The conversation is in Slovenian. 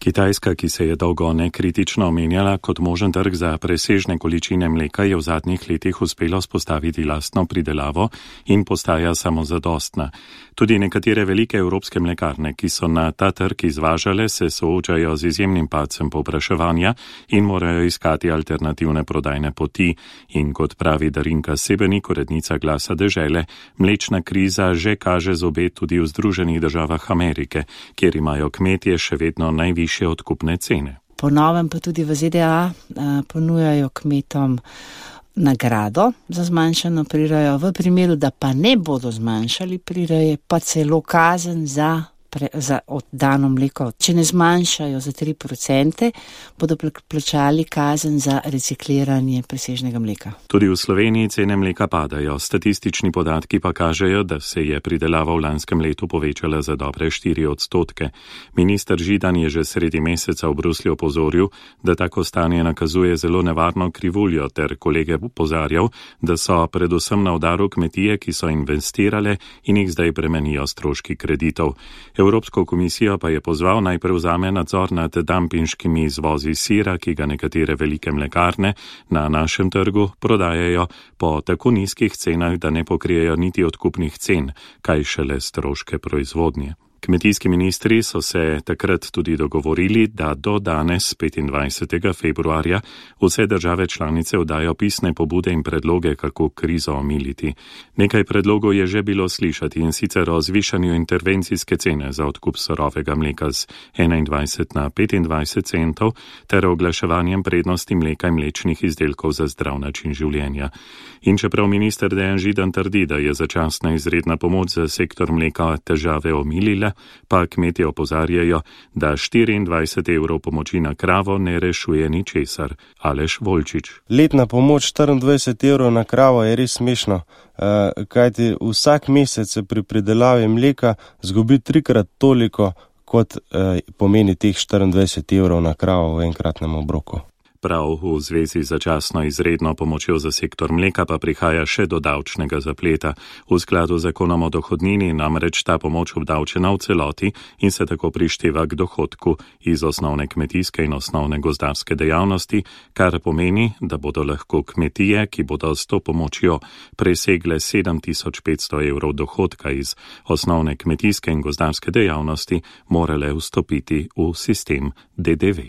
Kitajska, ki se je dolgo nekritično omenjala kot možen trg za presežne količine mleka, je v zadnjih letih uspelo spostaviti lastno pridelavo in postaja samozadostna. Tudi nekatere velike evropske mlekarne, ki so na ta trg izvažale, se soočajo z izjemnim padcem povpraševanja in morajo iskati alternativne prodajne poti. In kot pravi Darinka Sebenik, urednica Glasa dežele, mlečna kriza že kaže zobe tudi v Združenih državah Amerike, kjer imajo kmetje še vedno najvišje odkupne cene. Po novem pa tudi v ZDA ponujajo kmetom nagrado za zmanjšano prirejo. V primeru, da pa ne bodo zmanjšali prireje, pa celo kazen za oddano mleko. Če ne zmanjšajo za 3%, bodo plačali kazen za recikliranje presežnega mleka. Tudi v Sloveniji cene mleka padajo. Statistični podatki pa kažejo, da se je pridelava v lanskem letu povečala za dobre 4%. Minister Židan je že sredi meseca v Bruslju opozoril, da tako stanje nakazuje zelo nevarno krivuljo, ter kolege opozarjal, da so predvsem na udaru kmetije, ki so investirale in jih zdaj bremenijo stroški kreditov. Evropsko komisijo pa je pozval naj prevzame nadzor nad dampinškimi izvozi sira, ki ga nekatere velike mlekarne na našem trgu prodajajo po tako nizkih cenah, da ne pokrijejo niti odkupnih cen, kaj šele stroške proizvodnje. Kmetijski ministri so se takrat tudi dogovorili, da do danes, 25. februarja, vse države članice oddajo pisne pobude in predloge, kako krizo omiliti. Nekaj predlogov je že bilo slišati, in sicer o zvišanju intervencijske cene za odkup surovega mleka z 21 na 25 centov ter oglaševanjem prednosti mleka in mlečnih izdelkov za zdrav način življenja. In čeprav minister Dejan Židan trdi, da je začasna izredna pomoč za sektor mleka težave omilila, pa kmetje opozarjajo, da 24 evrov pomoči na kravo ne rešuje ničesar. Aleš Volčič. Letna pomoč 24 evrov na kravo je res smešno, kajti vsak mesec se pri pridelavi mleka zgubi 3-krat toliko, kot pomeni teh 24 evrov na kravo v enkratnem obroku. Prav v zvezi z začasno izredno pomočjo za sektor mleka pa prihaja še do davčnega zapleta. V skladu z zakonom o dohodnini namreč ta pomoč obdavčena v celoti in se tako prišteva k dohodku iz osnovne kmetijske in osnovne gozdarske dejavnosti, kar pomeni, da bodo lahko kmetije, ki bodo s to pomočjo presegle 7500 evrov dohodka iz osnovne kmetijske in gozdarske dejavnosti, morale vstopiti v sistem DDV.